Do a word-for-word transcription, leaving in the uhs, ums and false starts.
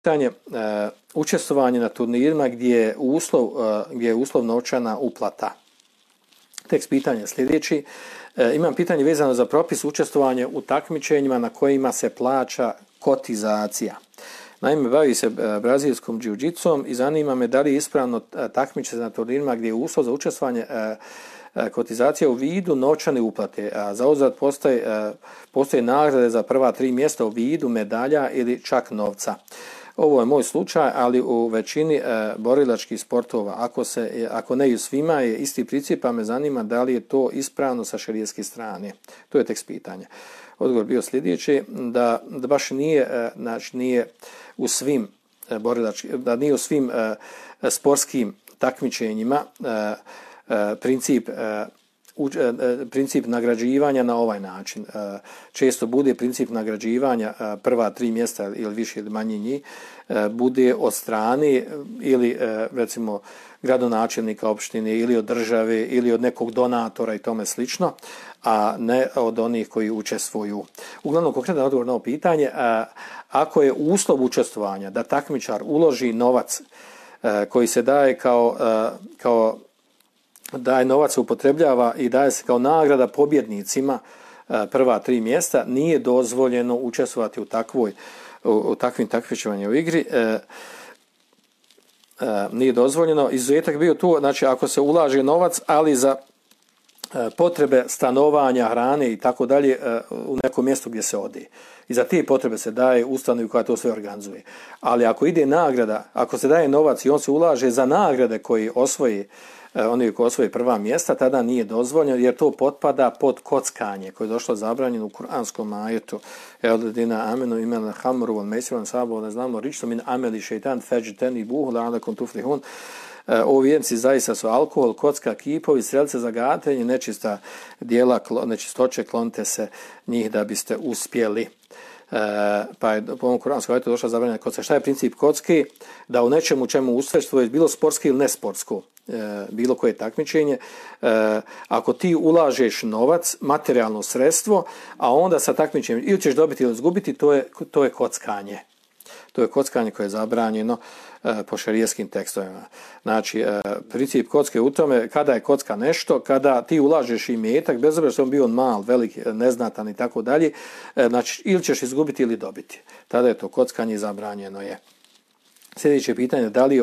pitanje uh, učestvovanje na turnirima gdje je uslov, uh, gdje je uslov novčana uplata. Tekst pitanja sljedeći. Uh, imam pitanje vezano za propis učestvovanja u takmičenjima na kojima se plaća kotizacija. Naime, bavi se uh, brazilskom džiu-džitsom i zanima me da li je ispravno uh, takmiče na turnirima gdje je uslov za učestvovanje uh, kotizacija u vidu novčane uplate, a zauzvrat postoje, postoje nagrade za prva tri mjesta u vidu medalja ili čak novca. Ovo je moj slučaj, ali u većini e, borilačkih sportova, ako, se, ako ne i u svima, je isti princip, pa me zanima da li je to ispravno sa šerijatske strane. To je tekst pitanja. Odgovor bio sljedeći, da, da baš nije, e, znači nije u svim e, borilačkim, da nije u svim e, sportskim takmičenjima e, princip princip nagrađivanja na ovaj način. Često bude princip nagrađivanja prva tri mjesta ili više ili manje njih bude od strane ili recimo gradonačelnika opštine ili od države ili od nekog donatora i tome slično, a ne od onih koji učestvuju. Uglavnom, konkretan odgovor na ovo pitanje, ako je uslov učestvovanja da takmičar uloži novac koji se daje kao, kao daje novac se upotrebljava i daje se kao nagrada pobjednicima prva tri mjesta, nije dozvoljeno učestvovati u takvoj u, u takvim takmičenjima u igri. E, e, nije dozvoljeno. Izuzetak bio tu, znači ako se ulaže novac, ali za e, potrebe stanovanja, hrane i tako dalje u nekom mjestu gdje se ode. I za te potrebe se daje ustanovi koja to sve organizuje. Ali ako ide nagrada, ako se daje novac i on se ulaže za nagrade koji osvoji oni koji osvoje prva mjesta, tada nije dozvoljeno jer to potpada pod kockanje koje je došlo zabranjeno u kuranskom ajetu. Eldina amenu imena hamru wal maisiran sabu ne znamo ričto min ameli šeitan fajtani buhu la'alakum tuflihun. O vjernici zaista su alkohol, kocka, kipovi, strelce za gatanje, nečista djela, nečistoće, klonite se njih da biste uspjeli. E, pa je po ovom kuranskom ajetu došla zabranjena kocka. Šta je princip kocki? Da u nečemu čemu učestvuješ, bilo sportski ili nesportsko, e, bilo koje takmičenje, e, ako ti ulažeš novac, materijalno sredstvo, a onda sa takmičenjem ili ćeš dobiti ili izgubiti, to je, to je kockanje. To je kockanje koje je zabranjeno e, po šerijskim tekstovima. Znači, e, princip kocke u tome, kada je kocka nešto, kada ti ulažeš imetak, bez obzira što on bio mal, velik, neznatan i tako dalje, e, znači, ili ćeš izgubiti ili dobiti. Tada je to kockanje zabranjeno je. Sljedeće pitanje, da li je